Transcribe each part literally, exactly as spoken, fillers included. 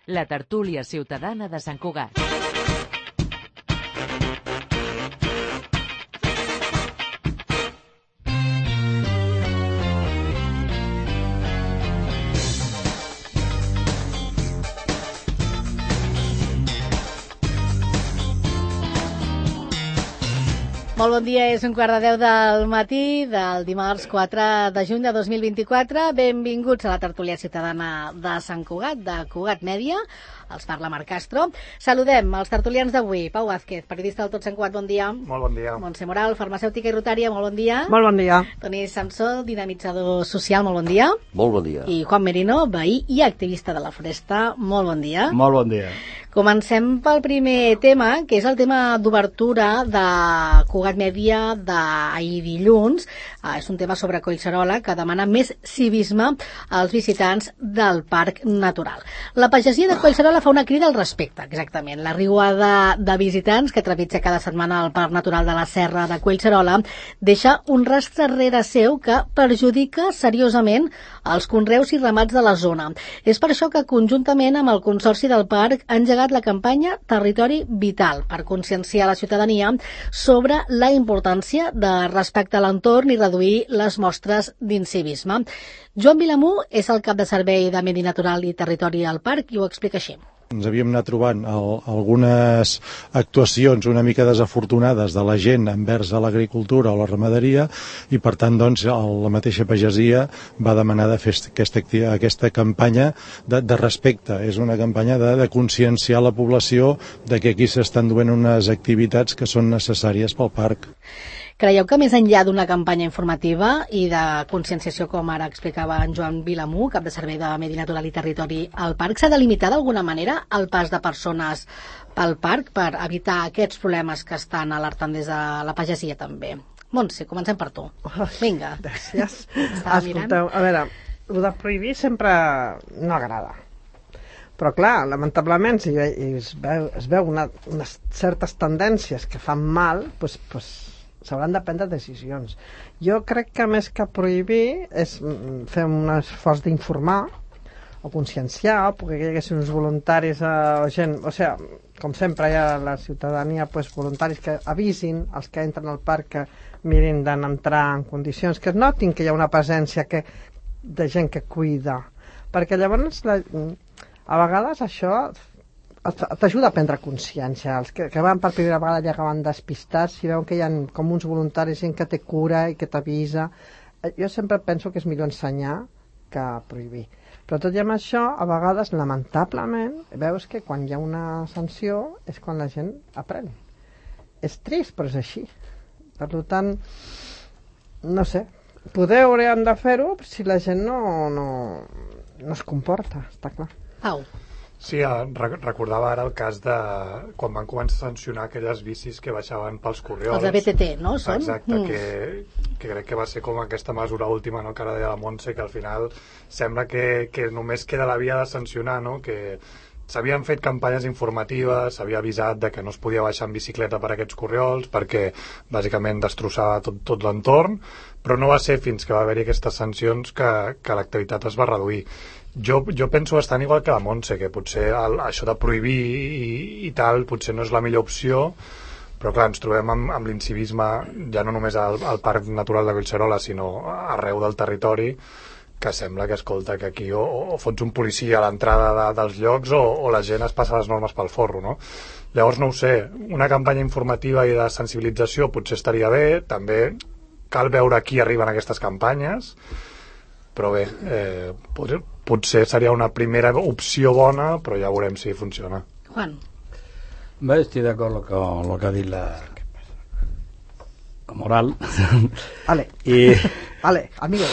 la tertúlia ciutadana de Sant Cugat. Molt bon dia, és un quart de deu del matí del dimarts quatre de juny de dos mil vint-i-quatre. Benvinguts a la tertúlia ciutadana de Sant Cugat, de Cugat Mèdia. Els parla Marc Castro. Saludem els tertulians d'avui. Pau Vázquez, periodista del Tot Sant Cugat, bon dia. Molt bon dia. Montse Moral, farmacèutica i rotària, molt bon dia. Molt bon dia. Toni Samsó, dinamitzador social, molt bon dia. Molt bon dia. I Juan Merino, veí i activista de la Foresta, molt bon dia. Molt bon dia. Comencem pel primer tema, que és el tema d'obertura de Cugat Mèdia d'ahir dilluns. Ah, és un tema sobre Collserola que demana més civisme als visitants del Parc Natural. La pagesia de Collserola fa una crida al respecte, exactament. La riuada de visitants que trepitja cada setmana al Parc Natural de la Serra de Collserola deixa un rastre rere seu que perjudica seriosament els conreus i ramats de la zona. És per això que conjuntament amb el Consorci del Parc ha engegat la campanya Territori Vital per conscienciar la ciutadania sobre la importància de respectar l'entorn i reduir les mostres d'incivisme. Joan Vilamú és el cap de servei de Medi Natural i Territori al Parc i ho explica així. Ens havíem anat trobant el, algunes actuacions una mica desafortunades de la gent envers a l'agricultura o la ramaderia i per tant doncs el, la mateixa pagesia va demanar de fer aquesta, aquesta campanya de, de respecte. És una campanya de, de conscienciar la població de que aquí s'estan duent unes activitats que són necessàries pel parc. Creieu que més enllà d'una campanya informativa i de conscienciació, com ara explicava en Joan Vilamú, cap de servei de Medi Natural i Territori al Parc, s'ha de limitar d'alguna manera el pas de persones pel parc per evitar aquests problemes que estan alertant des de la pagesia també? Montse, comencem per tu. Vinga. Gràcies. Escolteu, a veure, el de prohibir sempre no agrada. Però clar, lamentablement, si es veu, es veu una, unes certes tendències que fan mal, doncs, doncs s'hauran de prendre decisions. Jo crec que més que prohibir és fer un esforç d'informar o conscienciar, perquè hi haguessin uns voluntaris o gent, o sigui, com sempre hi ha la ciutadania, pues, voluntaris que avisin els que entren al parc que mirin d'entrar en condicions, que es notin que hi ha una presència que, de gent que cuida, perquè llavors la, a vegades això t'ajuda a prendre consciència. Els que, que van per primera vegada ja acaben despistats, si veuen que hi ha com uns voluntaris, gent que té cura i que t'avisa. Jo sempre penso que és millor ensenyar que prohibir. Però tot i amb això, a vegades, lamentablement, veus que quan hi ha una sanció és quan la gent aprèn. És trist, però és així. Per tant, no sé, poder hauríem de fer-ho si la gent no, no, no es comporta, està clar. Au. Sí, recordava ara el cas de quan van començar a sancionar aquelles bicis que baixaven pels corriols. Els de B T T, no? Són? Exacte, mm. que, que crec que va ser com aquesta mesura última, no?, que ara deia la Montse, que al final sembla que, que només queda la via de sancionar, no?, que s'havien fet campanyes informatives, s'havia avisat de que no es podia baixar en bicicleta per aquests corriols perquè bàsicament destrossava tot, tot l'entorn, però no va ser fins que va haver-hi aquestes sancions que, que l'activitat es va reduir. Jo, jo penso bastant igual que la Montse, que potser el, això de prohibir i, i tal potser no és la millor opció, però clar, ens trobem amb, amb l'incivisme ja no només al, al Parc Natural de Collserola, sinó arreu del territori, que sembla que, escolta, que aquí o, o fots un policia a l'entrada de, dels llocs o, o la gent es passa les normes pel forro, no? Llavors, no ho sé, una campanya informativa i de sensibilització potser estaria bé, també cal veure qui arriben aquestes campanyes, però bé, eh, potser, potser seria una primera opció bona, però ja veurem si funciona. Juan. Bé, estic d'acord amb el que ha dit la, la Moral. Ale, y, ale, amigo.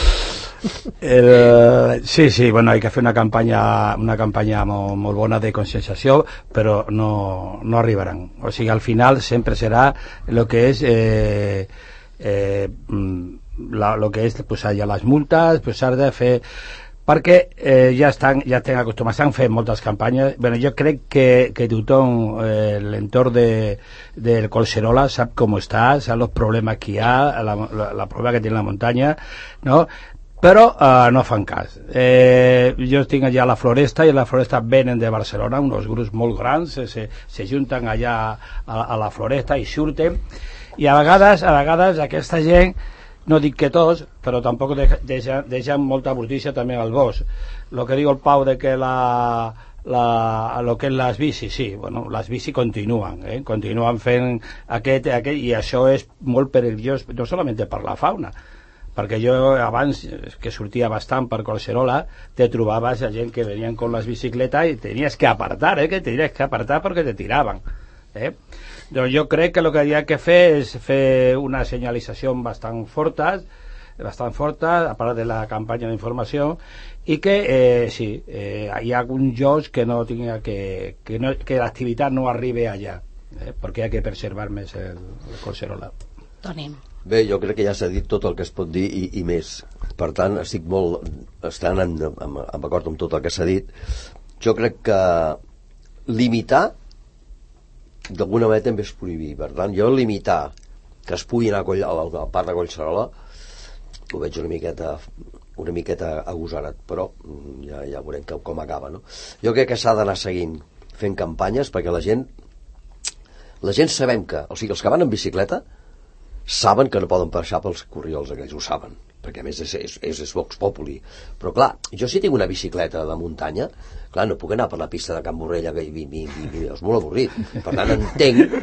El, sí, sí, bueno, hay que hacer una campaña una campaña molt, molt bona de conscienciació, però no, no arribaran. O sigui, al final sempre serà lo que és eh, eh, la, lo que és pues, allà les multes, pues, s'ha de fer perquè eh, ja estan ja estan acostumats, s'han fet moltes campanyes. Bueno, jo crec que, que tothom eh, l'entorn de, del Collserola sap com està, sap els problemes que hi ha, la, la, la problema que té la muntanya, no? però uh, no fan cas. Eh, jo tinc allà la Floresta, i la Floresta venen de Barcelona, uns grups molt grans, se, se, se junten allà a, a la Floresta i surten, i a vegades, a vegades aquesta gent, no dic que tots, però tampoc deixen, deixen molta brutícia també al bosc. Lo que diu el Pau de que la, la, lo que és les bicis, sí, bueno, les bicis continuen, eh? continuen fent aquest, aquest, i això és molt perillós, no solament per la fauna, perquè jo abans, que sortia bastant per Collserola, te trobaves a gent que venien con les bicicletes i tenies que apartar, eh? que tenies que apartar perquè te tiraven. Eh? Doncs jo crec que el que hi ha que fer és fer una senyalització bastant forta, bastant forta, a part de la campanya d'informació, i que eh, sí, eh, hi ha alguns llocs que no tinga que, que, no, que l'activitat no arribi allà, eh? perquè hi ha que preservar més el, el Collserola. Toni. Bé, jo crec que ja s'ha dit tot el que es pot dir i, i més. Per tant, estic molt estant en, en, en acord amb tot el que s'ha dit. Jo crec que limitar d'alguna manera també és prohibir. Per tant, jo limitar que es pugui anar a, Coll, al, al parc de Collserola ho veig una miqueta una miqueta agosarat, però ja, ja veurem que, com acaba, no? Jo crec que s'ha d'anar seguint fent campanyes perquè la gent la gent sabem que, o sigui, els que van en bicicleta saben que no poden passar pels corriols aquells, ho saben, perquè a més és, és, és, és Vox Populi. Però clar, jo si tinc una bicicleta de muntanya, clar, no puc anar per la pista de Can Borrella, que vi, vi, vi, vi, és molt avorrit. Per tant, entenc...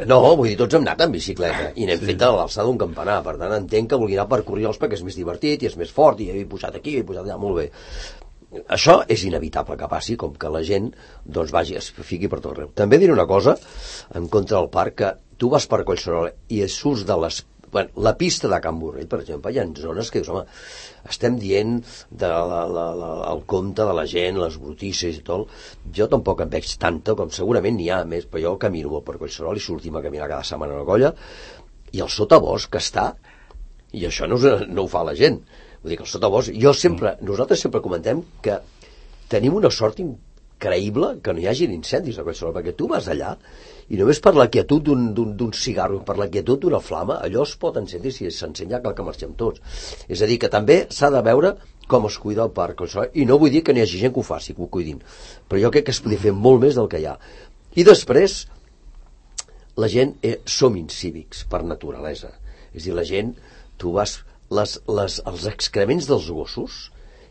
No, vull dir, tots hem anat en bicicleta i n'hem fet a l'alçada d'un campanar. Per tant, entenc que vulgui anar per corriols perquè és més divertit i és més fort i he pujat aquí, he pujat allà, molt bé. Això és inevitable que passi, com que la gent doncs vagi, es fiqui per tot arreu. També diré una cosa en contra del parc, que tu vas per Collserola i surts de les... Bueno, la pista de Can Borrell, per exemple, hi ha zones que dius, home, estem dient de la, la, la, el compte de la gent, les brutícies i tot. Jo tampoc en veig tanta, com segurament n'hi ha més, però jo camino molt per Collserola i sortim a caminar cada setmana a la colla, i el sotabosc que està, i això no, no ho fa la gent. Vull dir que el sotabosc, jo sempre, nosaltres sempre comentem que tenim una sort increïble que no hi hagin incendis a Collserola, perquè tu vas allà i només per la quietud d'un cigarro, per la quietud d'una flama, allò es pot encendre i si s'encenya cal que marxem tots. És a dir, que també s'ha de veure com es cuida el parc, i no vull dir que n'hi hagi gent que ho faci, que ho cuidin, però jo crec que es podria fer molt més del que hi ha. I després, la gent eh, som incívics per naturalesa. És a dir, la gent, tu vas... Les, les, els excrements dels gossos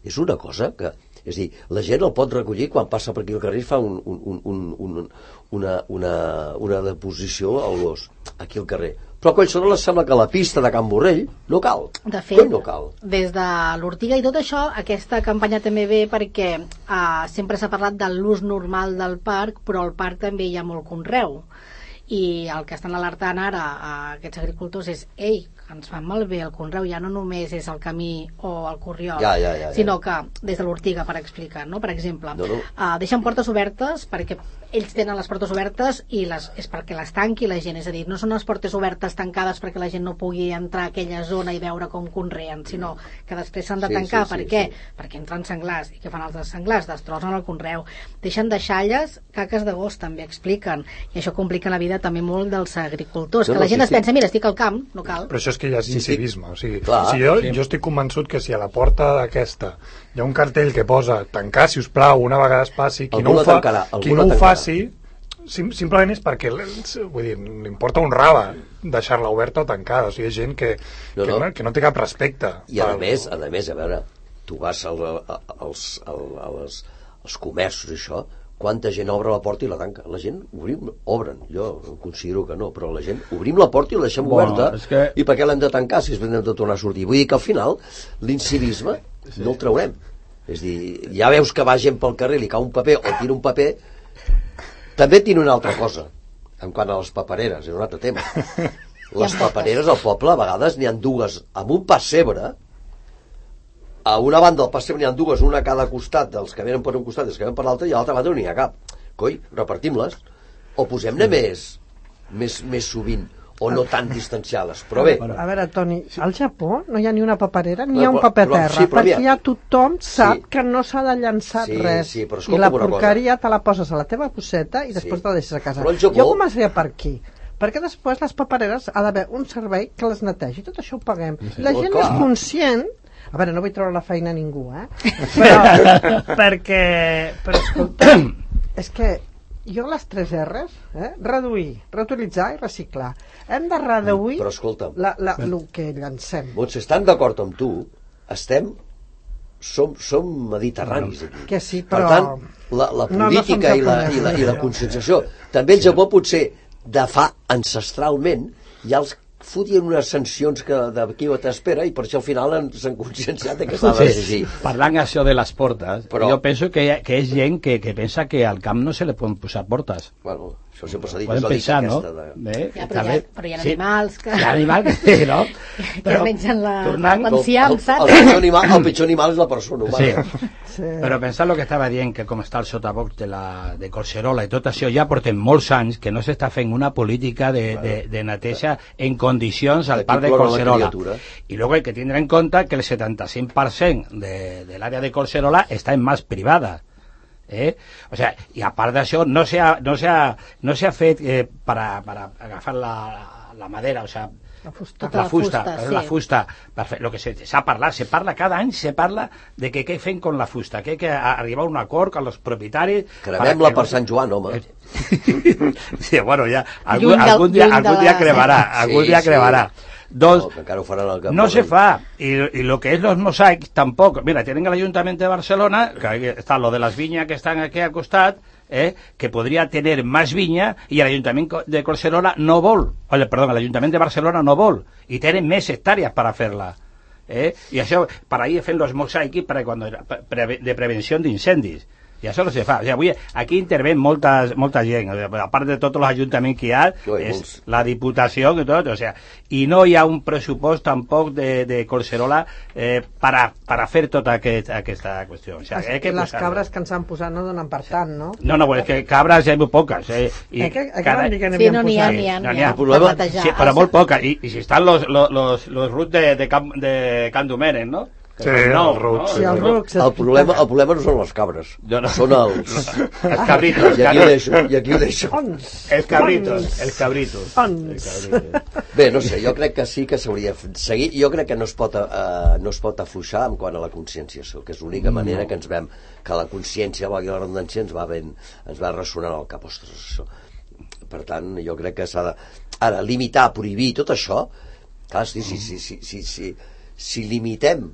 és una cosa que... És a dir, la gent el pot recollir quan passa per aquí al carrer i fa un, un, un, un, una, una, una deposició al gos, aquí al carrer. Però a Collserola sembla que la pista de Can Borrell no cal. De fet, no cal. Des de l'Ortiga i tot això, aquesta campanya també ve perquè eh, sempre s'ha parlat de l'ús normal del parc, però al parc també hi ha molt conreu. I el que estan alertant ara a aquests agricultors és, ei, que ens fan malbé el conreu, ja no només és el camí o el corriol, ja, ja, ja, ja. sinó que des de l'Ortiga, per explicar, no? Per exemple, no, no. Uh, deixen portes obertes perquè ells tenen les portes obertes i les, és perquè les tanqui la gent, és a dir, no són les portes obertes tancades perquè la gent no pugui entrar a aquella zona i veure com conreen, sinó que després s'han de tancar. Sí, sí, per sí, què? Sí. Perquè entren senglars, i què fan els senglars? Destrossen el conreu, deixen deixalles, caques de gos també expliquen, i això complica la vida també molt dels agricultors, no, que la gent no, sí, es pensa, mira, estic al camp, no cal. Però això és que ja és incivisme, o sigui, clar, o sigui jo, sí. jo estic convençut que si a la porta d'aquesta hi ha un cartell que posa tancar, si us plau, una vegada es passi, qui algú no ho, fa, tancarà, qui no ho faci, sim, simplement és perquè vull dir, li importa un rave deixar-la oberta o tancada, o sigui, hi ha gent que no, que, no. que no té cap respecte. I a pel... més, a més, a veure, tu vas al, als, al, als, als comerços i això, quanta gent obre la porta i la tanca. La gent obrim, obren, jo considero que no, però la gent obrim la porta i la deixem bueno, oberta que... i per què l'hem de tancar si després hem de tornar a sortir? Vull dir que al final l'incivisme sí. no el traurem. És dir, ja veus que va gent pel carrer, li cau un paper o tira un paper. També tiene una altra cosa en quant a les papereres, és un altre tema. Les papereres al poble a vegades n'hi ha dues amb un pessebre. A una banda del pessebre n'hi ha dues, una a cada costat dels que venen per un costat i els que venen per l'altre, i a l'altra banda no n'hi ha cap. Coi, repartim-les o posem-ne més, més, més sovint o no tan distanciades, però bé. A veure, Toni, al Japó no hi ha ni una paperera ni hi ha un paper a terra, sí, perquè ja tothom sap sí. que no s'ha de llançar sí, res sí, però i la porqueria te la poses a la teva bosseta i després sí. te la deixes a casa. Japó... Jo començaria per aquí, perquè després les papereres ha d'haver un servei que les netegi, tot això ho paguem. Sí, la gent és conscient A veure, no vull treure la feina a ningú, eh? Però, perquè... Però, escolta, és que jo les tres R's, eh? Reduir, reutilitzar i reciclar. Hem de reduir Però escolta'm, la, la, el que llancem. Montse, estan d'acord amb tu, estem... Som, som mediterranis aquí. Que sí, per però... tant, la, la política no, no i, la, i, la, i la conscienciació, també el Japó potser de fa ancestralment ja els fotien unes sancions que d'aquí o t'espera i per això al final s'han conscienciat que s'ha d'exigir. Sí, parlant això de les portes, però... jo penso que, que és gent que, que pensa que al camp no se li poden posar portes. Bueno, això sempre s'ha dit, poden és la pensar, dica no? aquesta. De... Eh? Ja, però, hi ha, però hi ha sí. animals que... Hi ha animals que, no? que mengen la... tornant... l'enciam, saps? El, el, el, animal, el pitjor animal és la persona humana. Sí. Sí. Però pensant el que estava dient, que com està el sotabox de, la, de Collserola i tot això, ja portem molts anys que no s'està fent una política de, de, de neteja en condicions al parc de Collserola. I luego hay que tener en cuenta que el setanta-cinc per cent de, de l'àrea de Collserola està en mans privada. Eh? O sea, i a part d'això no s'ha no no fet eh, per, a, per a agafar la, la madera, o sea, la fusta, la fusta, la fusta, sí. la fusta sí. Lo que s'ha parlat, se parla cada any, se parla de que què fem con la fusta, que hay que arribar a un acord amb els propietaris. Cremem-la per Sant Joan, home. Sí, bueno, ja, algun, del, algun dia, algun dia cremarà, algun sí, dia cremarà. Sí. Doncs, no, no se fa, y, y lo que es los mosaics tampoco. Mira, tienen el Ayuntamiento de Barcelona, que está lo de las viñas que están aquí al costat, eh, que podría tener más viña, y el Ayuntamiento de Collserola no vol, oye, perdón, el Ayuntamiento de Barcelona no vol, y tienen més hectáreas para hacerla. Eh? I això, per ahí fent los mosaics per cuando, pre, de prevenció d'incendis. I això no se fa. O sigui, avui aquí interven molta, molta gent, a part de tots els ajuntaments que hi ha, no, és molts. La Diputació i tot, o sigui, i no hi ha un pressupost tampoc de, de Collserola eh, per a, per a fer tota aquest, aquesta qüestió. O sigui, es, que les cabres que ens han posat no donen per tant, no? No, no, és que cabres hi ha molt poques. Eh, i eh, que, cada... que sí, no n'hi ha, n'hi ha, n'hi ha, problema, sí, però molt poques. I, i si estan los, los, los, los ruts de, de, Can, de Can Domènech, no? Sí, no, el ruc. Sí, el, ruc el, problema, el problema no són les cabres, no, no. Són els... Els cabritos. I aquí ho deixo. I aquí ho deixo. Els cabritos. Els cabritos. Bé, no sé, jo crec que sí que s'hauria de seguir. Jo crec que no es pot, uh, no es pot afluixar en quant a la conscienciació, que és l'única manera no. que ens vam... Que la consciència, valgui la redundància, ens va, ben, ens va ressonant al cap. Ostres, això. Per tant, jo crec que s'ha de... Ara, limitar, prohibir, tot això... Clar, sí, sí, sí, sí, sí, sí, si limitem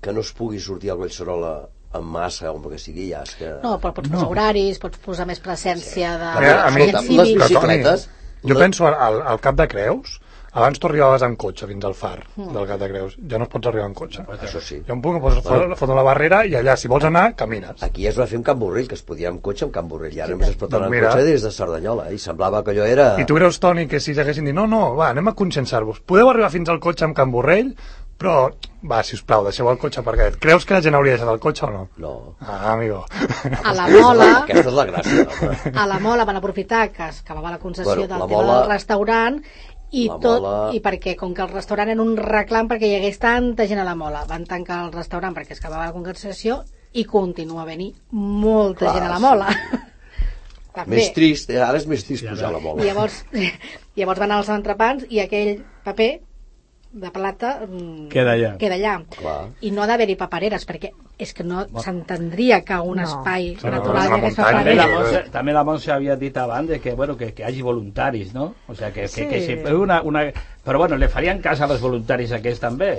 que no es pugui sortir a Collserola en massa o el que sigui, ja és que... No, però pots posar no. horaris, pots posar més presència de... Sí. A mi, les bicicletes... Jo la... penso al, al Cap de Creus, abans tu arribaves amb cotxe fins al far mm. del Cap de Creus, ja no es pots arribar amb cotxe. Això sí. Hi ha un punt que pots bueno. fotre la barrera i allà, si vols anar, camines. Aquí es va fer un Camp Borrell, que es podia amb cotxe amb Camp Borrell, i ara només es pot anar amb cotxe des de Cerdanyola, i semblava que allò era... I tu creus, Toni, que si s'haguessin dit, no, no, va, anem a conscienciar-vos, podeu arribar fins al cotxe amb Camp Borrell, però, va, sisplau, deixeu el cotxe perquè... Creus que la gent hauria deixat el cotxe o no? No. Ah, amigo. A la Mola... Aquesta és la gràcia. Home. A la Mola van aprofitar que es acabava la concessió bueno, del tema mola... del restaurant i la tot, mola... i perquè com que el restaurant era un reclam perquè hi hagués tanta gent a la Mola, van tancar el restaurant perquè es acabava la concessió i continua a venir molta Clar, gent a la Mola. Sí. Més trist, ara és més trist ja, pujar a la Mola. I llavors, llavors van als entrepans i aquell paper de plata queda allà, queda allà. I no ha d'haver-hi papereres perquè és que no s'entendria que un no. espai sí, natural no, hagués també la Montse, també la Montse havia dit abans que, bueno, que, que hi hagi voluntaris, no? O sea, que, sí. que, que, que una, una... però bueno, le farien cas als voluntaris aquests també.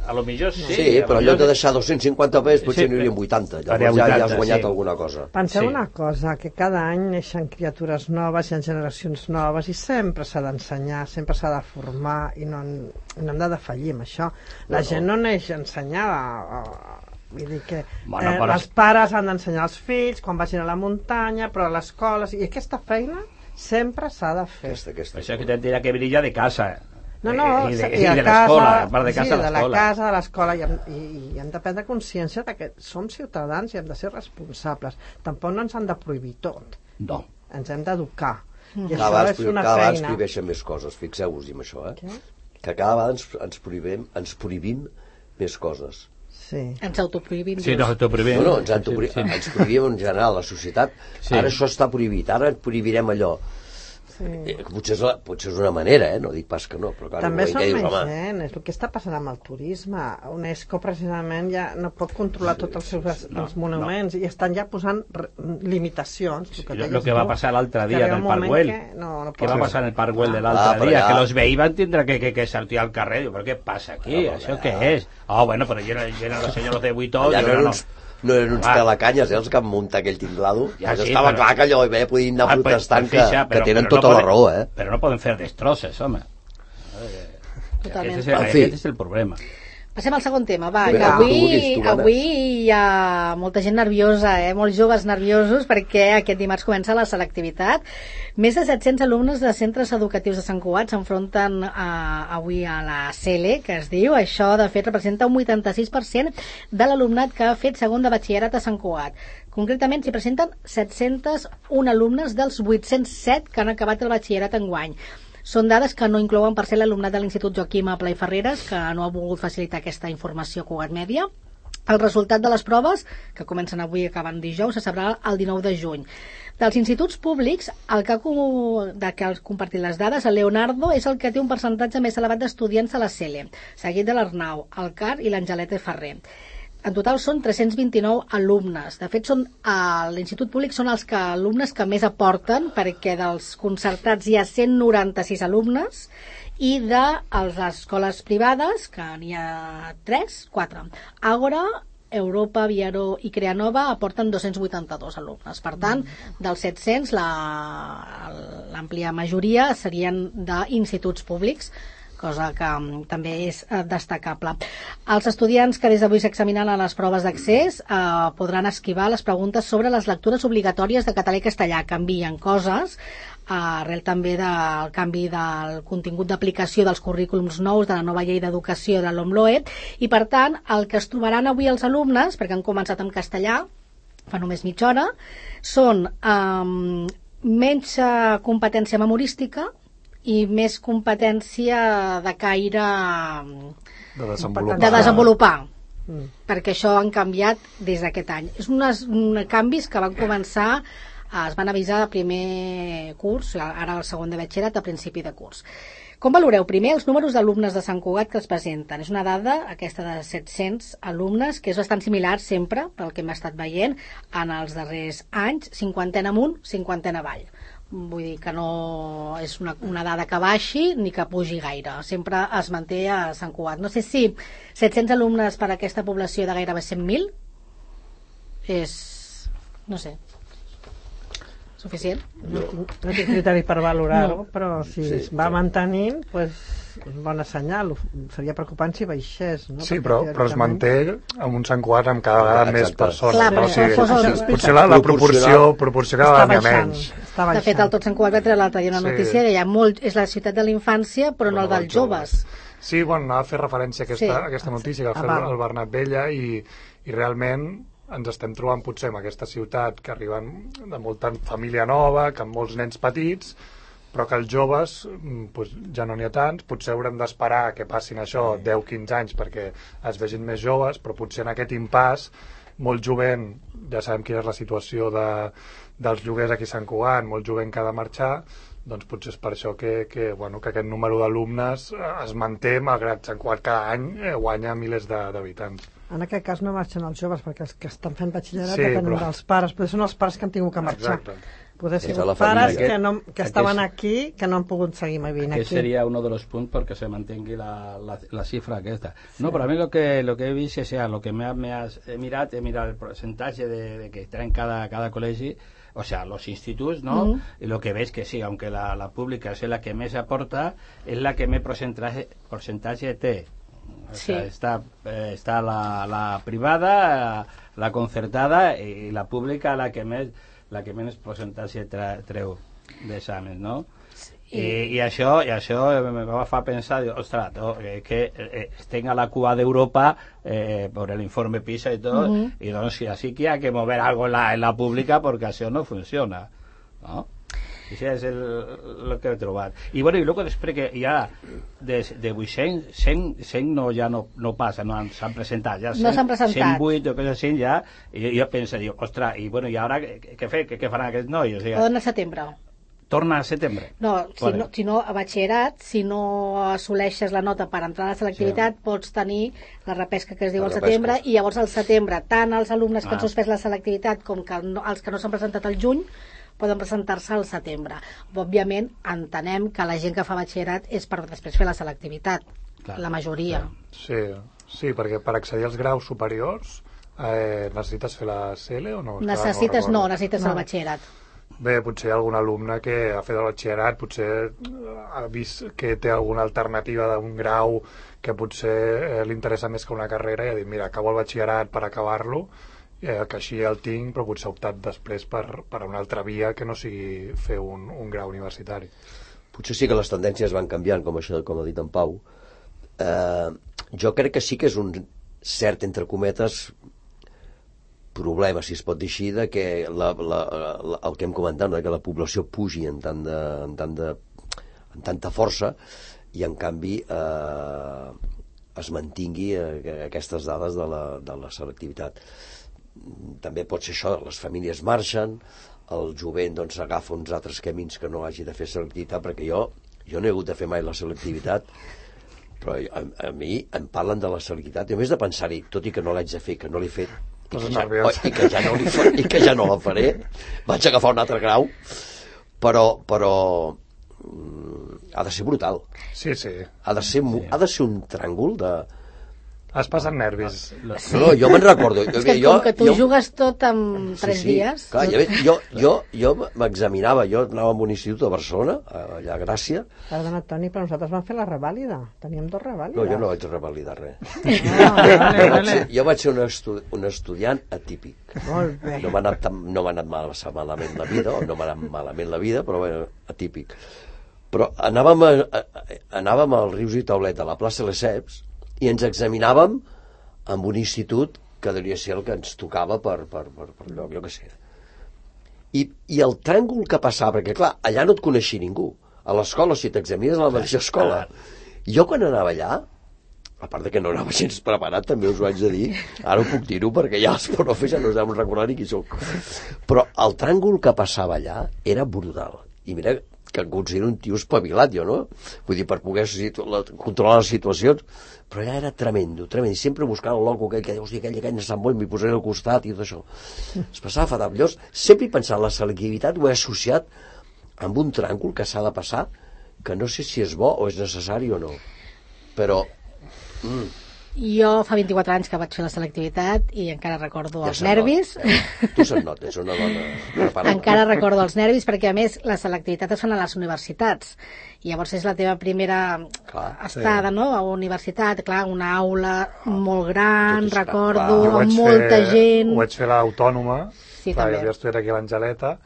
A lo millor sí. Sí, però en lloc de deixar dos-cents cinquanta pes potser sí, n'hi hauria vuitanta. Llavors ja, ja has guanyat sí. alguna cosa. Penseu sí. una cosa, que cada any neixen criatures noves, hi ha generacions noves i sempre s'ha d'ensenyar, sempre s'ha de formar i no, no hem de defallir amb això. La no, gent no neix ensenyada. Vull dir que bueno, eh, però... els pares han d'ensenyar als fills quan vagin a la muntanya, però a l'escola... I aquesta feina sempre s'ha de fer. Aquesta, aquesta. Això que tindrà que venir ja de casa. No, no, i de, i, i de l'escola, a part de casa, sí, de la casa, de l'escola, i, i, i hem de prendre consciència de que som ciutadans i hem de ser responsables. Tampoc no ens han de prohibir tot. No. Ens hem d'educar. Mm. I cada això és una cada feina. Cada prohibeixen més coses, fixeu-vos-hi amb això, eh? Què? Que cada vegada ens, ens, prohibim, ens prohibim més coses. Sí. Ens autoprohibim. Sí, no, autoprohibim. No, no, ens, autoprohibim, sí, sí. ens prohibim en general, la societat. Sí. Ara això està prohibit, ara prohibirem allò. Sí. Eh, potser, és la, potser és una manera, eh? No dic pas que no, però clar, també no són dius, més home... gent, és el que està passant amb el turisme. UNESCO precisament ja no pot controlar tots els seus no, els monuments no. I estan ja posant limitacions. Sí, el que, lo que va passar l'altre dia en el Parc Güell, que, no, no què va passar en el Parc Güell de l'altre ah, dia, ja... que los veïns van tindre que, que, que sortir al carrer. Diu, però què passa aquí? Ah, això què és? Ah, oh, bueno, però llenen, llenen los senyors de Buitó. Ja no, no, no eren uns pelacanyes, eh, els que han muntat aquell tinglado. Ja, sí, estava però... clar que allò bé podien anar ah, protestant que, fixa, però, que tenen però tota no poden, la raó, eh? Però no poden fer destrosses, home. Totalment. Aquest és, aquest és el problema. Passem al segon tema, va, que avui, avui hi ha molta gent nerviosa, eh? Molts joves nerviosos, perquè aquest dimarts comença la selectivitat. Més de set-cents alumnes de centres educatius de Sant Cugat s'enfronten a, avui a la C L E, que es diu. Això, de fet, representa un vuitanta-sis per cent de l'alumnat que ha fet segon de batxillerat a Sant Cugat. Concretament, s'hi presenten set-cents un alumnes dels vuit-cents set que han acabat el batxillerat enguany. Són dades que no inclouen, per ser l'alumnat de l'Institut Joaquim Apla i Ferreres, que no ha volgut facilitar aquesta informació a Cugat Mèdia. El resultat de les proves, que comencen avui i acaben dijous, se sabrà el dinou de juny. Dels instituts públics, el que ha, de que ha compartit les dades, el Leonardo és el que té un percentatge més elevat d'estudiants a la C L E, seguit de l'Arnau, el C A R i l'Angeleta Ferrer. En total són tres-cents vint-i-nou alumnes. De fet, són, a l'Institut Públic són els que, alumnes que més aporten, perquè dels concertats hi ha cent noranta-sis alumnes i de les escoles privades, que n'hi ha tres, quatre. Àgora, Europa, Viaró i Creanova aporten dos-cents vuitanta-dos alumnes. Per tant, dels set-cents, l'àmplia majoria serien d'instituts públics, cosa que um, també és uh, destacable. Els estudiants que des d'avui s'examinaran a les proves d'accés uh, podran esquivar les preguntes sobre les lectures obligatòries de català i castellà. Canvien coses, uh, arrel també del canvi del contingut d'aplicació dels currículums nous de la nova llei d'educació de l'OMLOE, i per tant el que es trobaran avui els alumnes, perquè han començat en castellà fa només mitja hora, són um, menys uh, competència memorística i més competència de caire de desenvolupar, de desenvolupar. Mm. Perquè això han canviat des d'aquest any. És uns canvis que van començar, es van avisar de primer curs, ara el segon de batxillerat, a principi de curs. Com valoreu? Primer, els números d'alumnes de Sant Cugat que es presenten. És una dada, aquesta de set-cents alumnes, que és bastant similar sempre, pel que hem estat veient, en els darrers anys, cinquantena amunt, cinquantena avall. Vull dir que no és una, una dada que baixi ni que pugi gaire, sempre es manté a Sant Cugat. No sé si set-cents alumnes per a aquesta població de gairebé cent mil és, no sé, suficient? No, no tinc criteri per valorar-ho, no. Però si sí, es va mantenint, pues, és bona senyal. Seria preocupant si baixés, no? Sí, però, però es manté amb un Sant Cugat amb cada vegada més persones. Clar, però, o sigui, fos el... Potser la, la proporció, proporció cada vegada menys. De fet, el Tot Sant Cugat va treure l'altre dia una sí. notícia que hi ha molt, és la ciutat de la infància, però, però no el dels joves. joves. Sí, bueno, anava a fer referència a aquesta, sí. a aquesta notícia que va fer el, el Bernat Vella i, i realment ens estem trobant potser en aquesta ciutat que arriben de molta família nova, que amb molts nens petits, però que els joves pues, ja no n'hi ha tants, potser haurem d'esperar que passin això deu a quinze anys perquè es vegin més joves, però potser en aquest impàs molt jovent, ja sabem quina és la situació de, dels lloguers aquí a Sant Cugat, molt jovent que ha de marxar, doncs potser és per això que, que, bueno, que aquest número d'alumnes es manté, malgrat Sant Cugat cada any eh, guanya milers d'habitants. En aquest cas no marxen els joves, perquè els que estan fent batxillerat sí, depenen però... dels pares, però són els pares que han tingut que marxar. Exacte. Poder ser pares que, no, que estaven aquí, que no han pogut seguir vivint aquí. Aquest seria uno de los punts perquè se mantingui la, la, la cifra aquesta. Sí. No, però a mi lo que, lo que he vist, o sea, lo que me, me has he mirat, he mirat el percentatge de, de que traen cada, cada col·legi, o sea, los institutos, ¿no? Uh-huh. Y lo que ves que sí, aunque la, la pública es la que más aporta, es la que más porcentaje, porcentaje té. O sí. sea, está, eh, está la, la privada, la concertada y la pública la que més la que menys percentatge treu d'exàmens, no? Sí. I, i, això, i això me va fer pensar, dic, ostres, no, eh, que eh, estem a la cua d'Europa eh, per l'informe PISA i tot, uh-huh. i doncs sí, així que hi ha que mover algo en la, en la pública perquè això no funciona, no? Això és el, el que he trobat. I bueno, i luego després que ja de, de vuit-cents, cent, cent no, ja no, no passa, no s'han presentat, ja no s'han presentat. cent vuit o coses així ja, i jo, jo penso, dic, ostres, i bueno, i ara què, què, què, què faran aquests nois? O sigui, poden al setembre. torna a setembre. No, si no, si no a batxillerat, si no assoleixes la nota per entrar a la selectivitat, sí. pots tenir la repesca que es diu al setembre, i llavors al setembre, tant els alumnes que ah. han suspès la selectivitat com que no, els que no s'han presentat al juny, poden presentar-se al setembre. Òbviament, entenem que la gent que fa batxillerat és per després fer la selectivitat, clar, la majoria. Clar. Sí, sí, perquè per accedir als graus superiors eh, necessites fer la C L o no? Necessites, no, no necessites no. el batxillerat. Bé, potser hi ha algun alumne que ha fet el batxillerat, potser ha vist que té alguna alternativa d'un grau que potser eh, li interessa més que una carrera i ha dit, mira, acabo el batxillerat per acabar-lo, eh, que així el tinc, però potser ha optat després per, per una altra via que no sigui fer un, un grau universitari. Potser sí que les tendències van canviant, com això, com ha dit en Pau. Eh, jo crec que sí que és un cert, entre cometes, problema, si es pot dir així, de que la, la, la, el que hem comentat, de que la població pugi en, tant de, en, tant de, en tanta força i en canvi eh, es mantingui eh, aquestes dades de la, de la selectivitat. També pot ser això, les famílies marxen, el jovent doncs, agafa uns altres camins que no hagi de fer selectivitat, perquè jo, jo no he hagut de fer mai la selectivitat, però a, a mi em parlen de la selectivitat, i a més de pensar-hi, tot i que no l'haig de fer, que no l'he fet, i que, ja, oh, i, que ja no li fa, i que ja no la faré, vaig agafar un altre grau, però, però mm, ha de ser brutal. Sí, sí. Ha de ser, sí. ha de ser un tràngol de... Has passat nervis. Sí. No, jo me'n recordo. És que jo, com que tu jo... jugues tot en tres sí, sí. dies... Clar, jo, jo, jo m'examinava, jo anava a un institut a Barcelona, allà a Gràcia. Perdona, Toni, però nosaltres vam fer la revàlida. Teníem dos revàlides. No, jo no vaig revalidar res. Ah, vale, jo, vaig vale. ser, jo vaig ser un, estu, un estudiant atípic. Molt bé. No m'ha anat, no m'ha anat mal, malament la vida, o no m'ha anat malament la vida, però bueno, atípic. Però anàvem, a, a, anàvem al Rius i Taulet, a la plaça Lesseps, i ens examinàvem amb un institut que devia ser el que ens tocava per, per, per, per lloc, jo què sé. I, I el tràngol que passava, perquè clar, allà no et coneixia ningú. A l'escola, si t'examines a la mateixa escola. Jo quan anava allà, a part de que no anava gens preparat, també us ho haig de dir, ara ho puc dir-ho perquè ja els profes ja no us deuen recordar ni qui soc. Però el tràngol que passava allà era brutal. I mira que em considero un tio espavilat, jo, no? Vull dir, per poder controlar les situacions, però allà era tremendo, tremendo, i sempre buscant el loco aquell que dius, aquell, aquell, Sant Boi, m'hi posaré al costat i tot això. Es passava fatal. Llavors, sempre he pensat, la selectivitat ho he associat amb un tràngol que s'ha de passar, que no sé si és bo o és necessari o no. Però... Mm. Jo fa vint-i-quatre anys que vaig fer la selectivitat i encara recordo ja els nervis. Eh? Tu se'n nota, és una dona preparada. Encara recordo els nervis perquè, a més, la selectivitat es fan a les universitats. I llavors és la teva primera clar, estada, sí. no?, a la universitat. Clar, una aula molt gran, Tot recordo, amb molta fer, gent... Ho vaig fer a l'Autònoma, sí, clar, també. Jo havia estudiat aquí a l'Angeleta,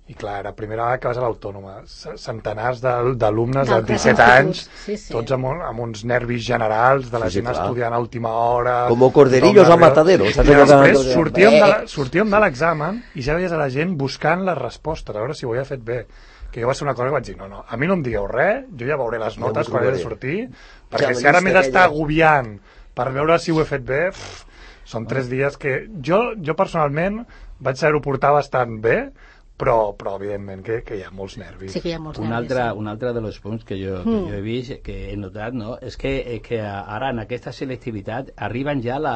i clar, la primera vegada que vas a l'Autònoma, centenars d'alumnes de disset anys, sí, sí. tots amb, un, amb uns nervis generals, de la sí, gent sí, estudiant a última hora... Com corderillos al matadero. I després sortíem de, sortíem de l'examen i ja veies a la gent buscant les respostes, a veure si ho havia fet bé. Que jo va ser una cosa que vaig dir, no, no, a mi no em digueu res, jo ja veuré les notes quan he de sortir, perquè ja, si ara m'he d'estar agobiant per veure si ho he fet bé, pff, són tres dies que... Jo, jo personalment vaig saber-ho portar bastant bé, però, però evidentment que, que hi ha molts nervis. Sí que hi ha molts un nervis. Altre, sí. Un altre dels punts que jo, que mm. jo he vist, que he notat, no? és que, és que ara en aquesta selectivitat arriben ja la,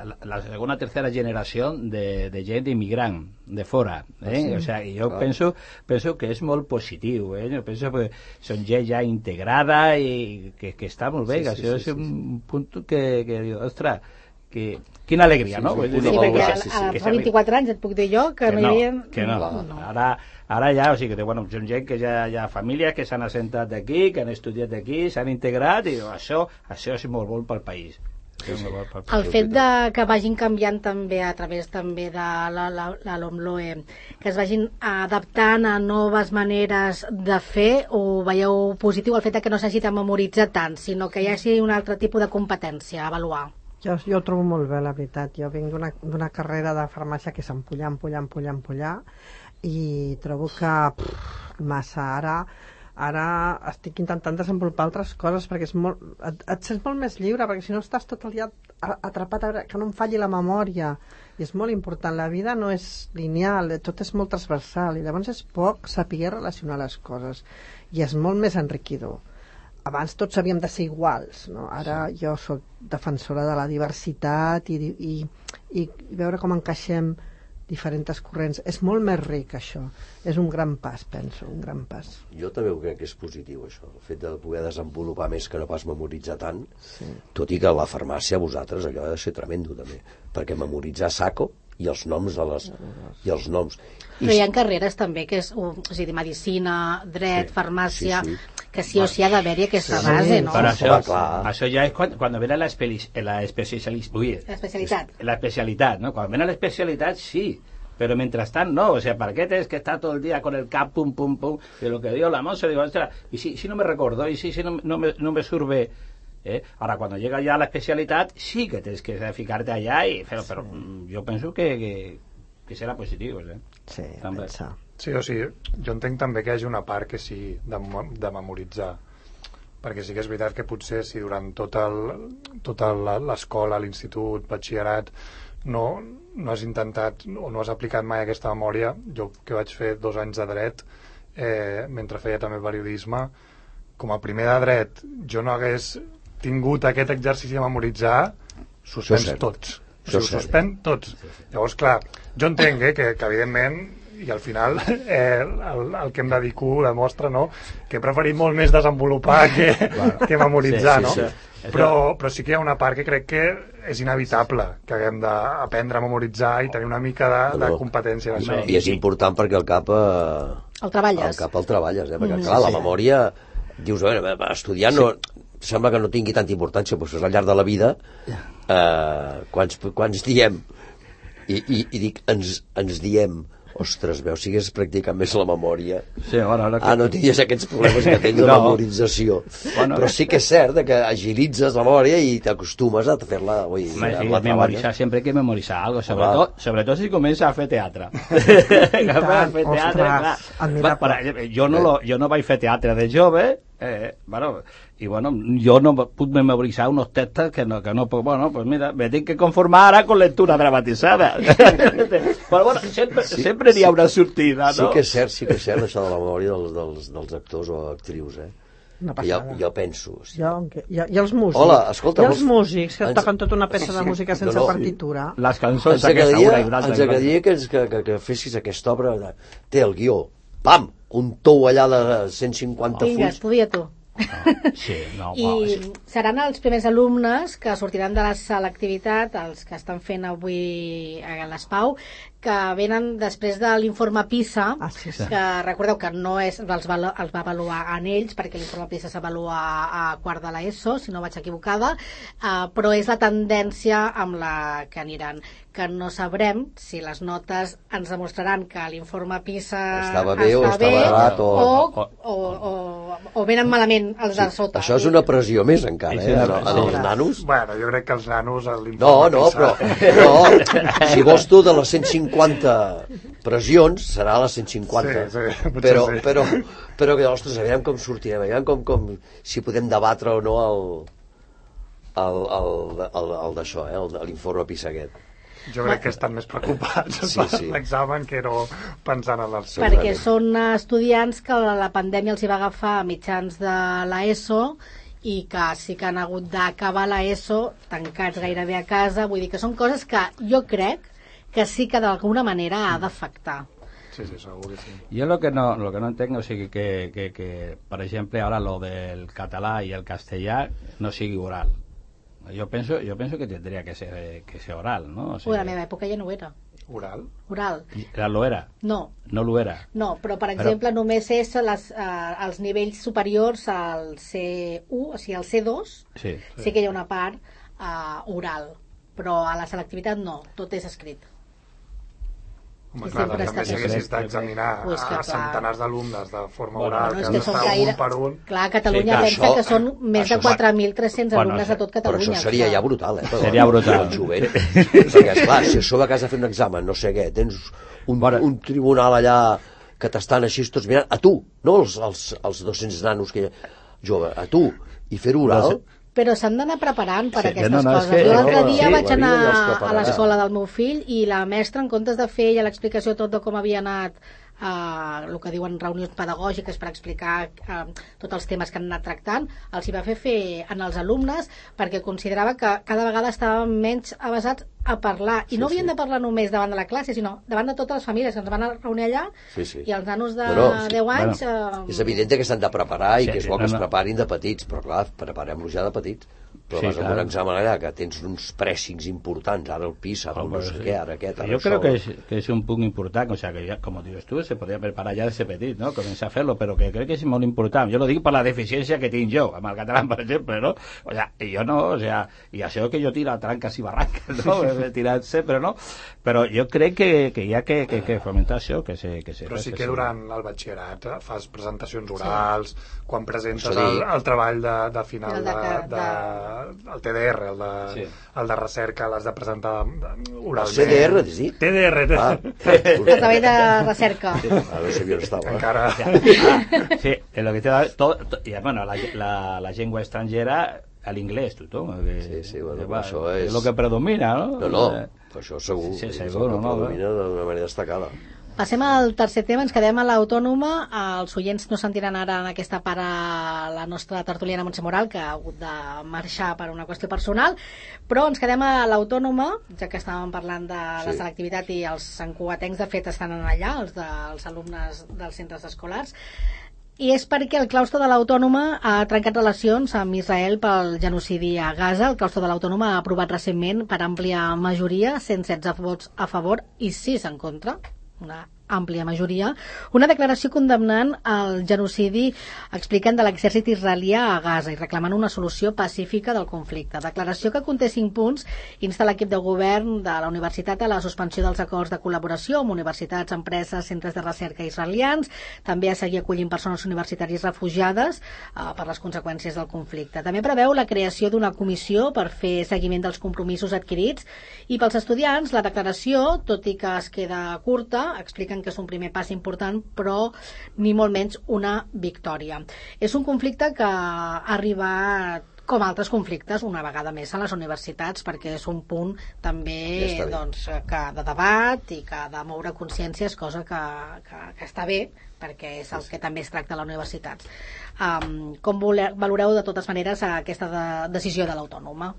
la, la segona o tercera generació de, de gent immigrant de fora. Eh? Sí. O sigui, jo ah. penso, penso que és molt positiu. Eh? Jo penso que són gent ja integrada i que, que està molt bé. Sí, sí, això sí, és sí, un sí. punt que, que diu, ostres, que, quina alegria, sí, no? Sí, sí, perquè a, a, a fa vint-i-quatre anys et puc dir jo que, que no hi havia... Que no, no. Ara, ara ja, o sigui, que bueno, són gent que ja hi ha famílies que s'han assentat aquí, que han estudiat aquí, s'han integrat, i això, això és molt bo pel país. Sí, sí. El fet de que vagin canviant també a través també de la, la, la LOMLOE, que es vagin adaptant a noves maneres de fer, o veieu positiu el fet de que no s'hagi de memoritzar tant, sinó que hi hagi un altre tipus de competència a avaluar? Jo, jo ho trobo molt bé, la veritat. Jo vinc d'una carrera de farmàcia que és empollar, empollar, empollar, empollar, i trobo que pff, massa ara ara estic intentant desenvolupar altres coses perquè és molt, et, et sents molt més lliure, perquè si no estàs tot el dia atrapat, que no em falli la memòria. I és molt important, la vida no és lineal, tot és molt transversal, i llavors és poc saber relacionar les coses, i és molt més enriquidor. Abans tots havíem de ser iguals, no? Ara sí. Jo sóc defensora de la diversitat i, i, i, i veure com encaixem diferents corrents. És molt més ric, això. És un gran pas, penso, un gran pas. Jo també ho crec que és positiu, això. El fet de poder desenvolupar més que no pas memoritzar tant, sí. Tot i que a la farmàcia, vosaltres, allò ha de ser tremendo, també. Perquè memoritzar saco i els noms de les... i els noms. Però hi ha carreres també, que és, o sigui, medicina, dret, sí. farmàcia... Sí, sí. Que sí o sí ha d'haver-hi aquesta sí, base, no? Però això, això ja és quan, quan ve la, espeli, la, ui, especialitat. La especialitat, ¿no? Quan ve la especialitat, sí, pero mientras tanto, no. O sea, ¿para qué tienes que estar todo el día con el cap, pum, pum, pum? De lo que dio la Monse, digo, y si, si no me recuerdo, y si, si no, no, me, no me surve... ¿eh? Ahora, cuando llega ya a la especialidad, sí que tienes que fijarte allá, y, pero, sí. pero yo pienso que, que, que serà positiu, ¿eh? Sí, pensa. Sí, o sigui, jo entenc també que hi hagi una part que sí, de, de memoritzar, perquè sí que és veritat que potser si durant tot el, tota l'escola, l'institut, batxillerat, no, no has intentat o no has aplicat mai aquesta memòria. Jo que vaig fer dos anys de dret, eh, mentre feia també periodisme, com a primer de dret jo no hagués tingut aquest exercici de memoritzar, suspens tots. O sigui, suspèn tots. Llavors, clar, jo entenc eh, que, que evidentment i al final eh, el, el que em dedico demostra, no?, que he preferit molt més desenvolupar que, que memoritzar, sí, sí, no? Sí. Però, però sí que hi ha una part que crec que és inevitable que haguem d'aprendre a memoritzar i tenir una mica de, de competència en això. I és important perquè el cap eh, el treballes, el cap el treballes eh? Perquè clar, la memòria dius, a veure, estudiar no, sembla que no tingui tanta importància, però al llarg de la vida eh, quants, quants diem i, i, i dic, ens, ens diem ostres, veus, sigues practicant més la memòria. Sí, bueno, que... Ah, no tinguis aquests problemes que tens de no. memorització. Bueno, però sí que és cert que agilitzes la memòria i t'acostumes a fer-la. Ui, sí, memorizar, sempre hay que memorizar algo, sobretot, sobretot si comença a fer teatre. a fer teatre, clar. Para, jo, no lo, jo no vaig fer teatre de jove, eh, bueno, i bueno, jo no puc memoritzar unos textos que no, que no puc, bueno, pues mira, me tinc que conformar ara con lectura dramatitzada. Però bueno, sempre, sí, sempre n'hi ha una sortida, no? Sí que és cert, sí que és cert això de la memòria dels, dels, dels actors o actrius, eh? Jo, jo penso... Sí. Jo, i, i els músics. Hola, escolta, I els músics que ens... toquen tota una peça de música sense no, no, partitura. Les cançons ens agradaria, ens agradaria que, que, que, que fessis aquesta obra. Té el guió, pam, un tou allà de cent cinquanta fulls. Vinga, estudia tu. No, sí, no, I wow, sí. Seran els primers alumnes que sortiran de la selectivitat, els que estan fent avui a l'Espau, que venen després de l'informe PISA, ah, sí, sí. que recordeu que no és, els, va, els va avaluar en ells, perquè l'informe PISA s'avalua a quart de l'ESO, si no vaig equivocada, uh, però és la tendència amb la que aniran, que no sabrem si les notes ens demostraran que l'informe PISA estava bé o estava errat o... O, o, o, o venen malament els de sota. Això és una pressió més encara, eh? En, en els nanos. Bueno, jo crec que els nanos... No, no, però no, si vols tu de les cent cinquanta pressions, serà les cent cinquanta. Sí, sí, però, sí. però, però que, ostres, aviam com sortirem, aviam com, com, si podem debatre o no el, el, el, el, el d'això, eh? L'informe PISA aquest. Jo crec que estan més preocupats sí, per sí. l'examen que no pensant en els... Perquè són estudiants que la pandèmia els hi va agafar a mitjans de l'ESO i que sí que han hagut d'acabar l'ESO tancats gairebé a casa. Vull dir que són coses que jo crec que sí que d'alguna manera ha d'afectar. Sí, sí, segur que sí. Yo lo que no, lo que no entiendo es que, que, que, que, por ejemplo, ahora lo del català y el castellà no sigui oral. Yo pienso, yo pienso que tendría que ser, que ser oral, ¿no? O sea, Ui, a la meva època ja no ho era. Oral? Oral. Ja lo era? No. No lo era? No, però per exemple però... només és les, uh, els nivells superiors al C u, o sigui al C dos, sí, sí. sí que hi ha una part uh, oral, però a la selectivitat no, tot és escrit. Home, clar, doncs a més si haguessis d'examinar pues a, a centenars d'alumnes de forma bueno, oral, bueno, que, que són està gaire... un per un... Clar, a Catalunya sí, pensa això, que són més de quatre mil tres-cents bueno, alumnes a tot Catalunya. Però això seria ja brutal, eh? Seria brutal. Jovent. Perquè, esclar, si a sobre casa a fer un examen, no sé què, tens un, un tribunal allà que t'estan així tots mirant, a tu, no els, els, els dos-cents nanos que jove, a tu, i fer-ho oral... però s'han d'anar preparant per sí, aquestes no, no, coses. que, jo l'altre no, dia sí, vaig anar ja a l'escola del meu fill i la mestra, en comptes de fer ja l'explicació tot de com havia anat Uh, el que diuen reunions pedagògiques per explicar uh, tots els temes que han anat tractant, els hi va fer fer en els alumnes perquè considerava que cada vegada estaven menys avasats a parlar, i sí, no havien sí. de parlar només davant de la classe, sinó davant de totes les famílies que ens van a reunir allà, sí, sí. i els nanos de bueno, sí. deu anys bueno. uh... és evident que s'han de preparar i sí, que és bo que no, no. es preparin de petits, però clar, preparem-los ja de petits. Però sí, vas a un examen allà que tens uns pressings importants, ara el PISA, oh, no sé sí. què, ara aquest, ara yo això. creo que es, que es un punto importante, o sea, que ya, como dices tú, se podría preparar ya desde petit, ¿no? Començar a fer-lo, però que crec que és molt important. Jo lo dic per la deficiència que tinc jo, amb el català, per exemple, ¿no? O sea, jo no, o sea, i això que jo tiro a tranques i barranques, ¿no? He tirat sempre, no? Però jo crec que, que hi ha que, que, que fomentar això, que se... Que se però sí que durant el batxillerat fas presentacions orals, sí. quan presentes el, el treball de, de final el de, de, de, de, el T D R, el de, sí. el de recerca, l'has de presentar oralment. C D R, sí? T D R. Ah. El treball de recerca. Sí. A veure si havia estava. Encara... Ah, sí, en lo que te da todo, to, y, bueno, la, la, la llengua estrangera al inglés, tothom. Que, sí, sí, bueno, va, això és... és el que predomina, no? No, no, per això segur. Sí, sí, segur, segur, no, no, predomina no, d'una manera destacada. Passem al tercer tema, ens quedem a l'Autònoma. Els oients no sentiran ara en aquesta part a la nostra tertuliana Montse Moral, que ha hagut de marxar per una qüestió personal, però ens quedem a l'Autònoma, ja que estàvem parlant de la sí. selectivitat, i els santcugatencs de fet estan allà, els dels alumnes dels centres escolars, i és perquè el claustre de l'Autònoma ha trencat relacions amb Israel pel genocidi a Gaza. El claustre de l'Autònoma ha aprovat recentment per àmplia majoria, cent setze vots a favor i sis en contra, una àmplia majoria, una declaració condemnant el genocidi, expliquen, de l'exèrcit israelià a Gaza i reclamant una solució pacífica del conflicte. Declaració que conté cinc punts, insta l'equip de govern de la universitat a la suspensió dels acords de col·laboració amb universitats, empreses, centres de recerca israelians, també a seguir acollint persones universitàries refugiades eh, per les conseqüències del conflicte. També preveu la creació d'una comissió per fer seguiment dels compromisos adquirits, i pels estudiants la declaració, tot i que es queda curta, expliquen que és un primer pas important, però ni molt menys una victòria. És un conflicte que ha arribat, com altres conflictes, una vegada més a les universitats, perquè és un punt també ja doncs, que de debat i que ha de moure consciències, cosa que, que, que està bé, perquè és el que també es tracta a les universitats. Um, com valoreu de totes maneres aquesta de, decisió de l'Autònoma?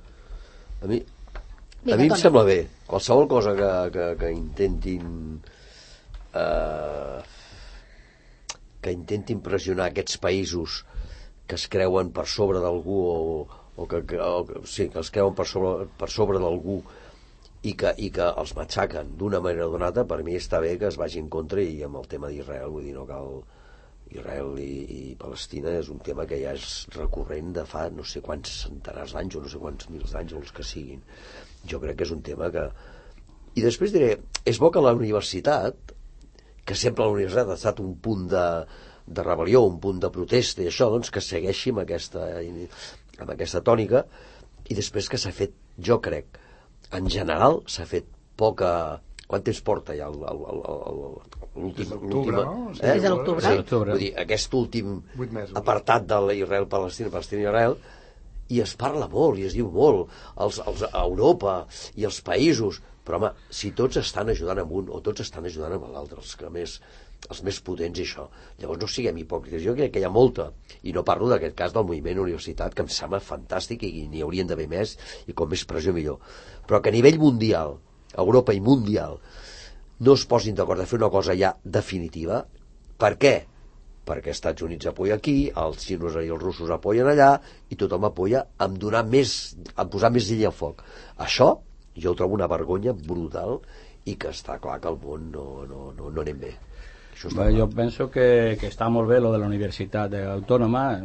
A mi, Vinga, a mi em Toni. Sembla bé. Qualsevol cosa que, que, que intentin Uh, que intentin pressionar aquests països que es creuen per sobre d'algú o, o, que, que, o sí, que es creuen per sobre, per sobre d'algú i que, i que els matxaquen d'una manera o d'una altra, per mi està bé que es vagi en contra. I amb el tema d'Israel, vull dir, no cal... Israel i, i Palestina és un tema que ja és recurrent de fa no sé quants centenars d'anys o no sé quants mils d'anys o els que siguin. Jo crec que és un tema que... I després diré, és bo que la universitat, que sempre la universitat ha estat un punt de, de rebel·lió, un punt de protesta i això, doncs que segueixi amb aquesta, amb aquesta tònica. I després que s'ha fet, jo crec, en general s'ha fet poca... Quant temps porta ja l'últim... L'octubre, no? Sí, eh? Des de l'octubre. Sí, vull dir, aquest últim apartat de l'Israel-Palestina, Palestina-Israel, i es parla molt, i es diu molt, els, els, a Europa i els països, però home, si tots estan ajudant amb un o tots estan ajudant amb l'altre, els que més, els més potents i això, llavors no siguem hipòcrites. Jo crec que hi ha molta, i no parlo d'aquest cas del moviment universitat, que em sembla fantàstic i n'hi haurien d'haver més, i com més pressió millor, però que a nivell mundial, Europa i mundial, no es posin d'acord de fer una cosa ja definitiva. Per què? Perquè els Estats Units apoya aquí, els xinos i els russos apoyen allà, i tothom apoya amb donar més, amb posar més llenya al foc. Això jo ho trobo una vergonya brutal, i que està clar que el món no, no, no, no anem bé. Bueno, yo pienso que, que está muy bien lo de la Universitat Autónoma.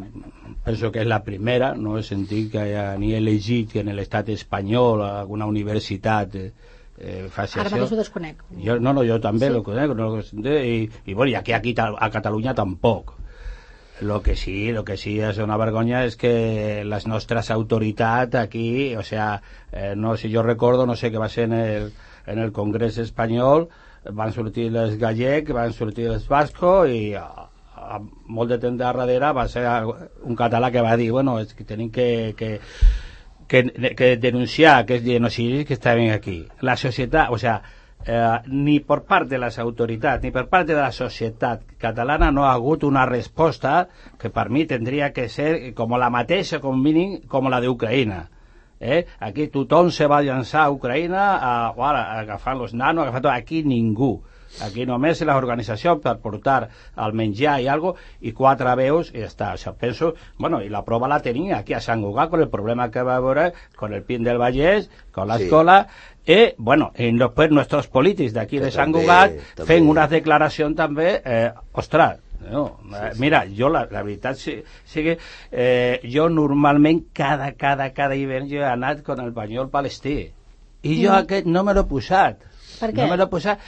Penso que és la primera, no he sentit que haya ni elegit que en l'estat espanyol alguna universitat eh, eh, faci Ara això. mateix ho desconec. Jo, no, no, jo també sí. lo conec, no, i, i bueno, i aquí, aquí a Catalunya tampoc. Lo que sí, lo que sí es una vergonya és que les nostres autoritats aquí, o sea, eh, no sé, jo recordo, no sé, que va ser en el, en el Congrés espanyol, van sortir els gallec, van sortir els bascos i a, a molt de temps darrere va ser un català que va dir, bueno, és que tenim que, que, que, que denunciar aquests genocidis que estaven aquí. La societat, o sea, eh, ni per part de les autoritats ni per part de la societat catalana no ha hagut una resposta que per mi tindria que ser com la mateixa, com mínim, com la d'Ucraïna. Eh? Aquí tothom se va llançar a Ucraïna a, bueno, agafant els nanos, agafant tot. Aquí ningú. Aquí només les organitzacions per portar el menjar i algo, i quatre veus i ja està. O sea, penso, bueno, i la prova la tenia aquí a Sant Cugat con el problema que va haver con el Pin del Vallès, con la escola, sí. I, bueno, i després nostres polítics d'aquí de Sant Cugat fent una declaració també, eh, ostres, no, sí, sí. Mira, jo la, la veritat sí, sí que eh, jo normalment cada, cada, cada hivern jo he anat con el banyol palestí i jo mm. aquest no me l'he posat. Per què? No me l'he posat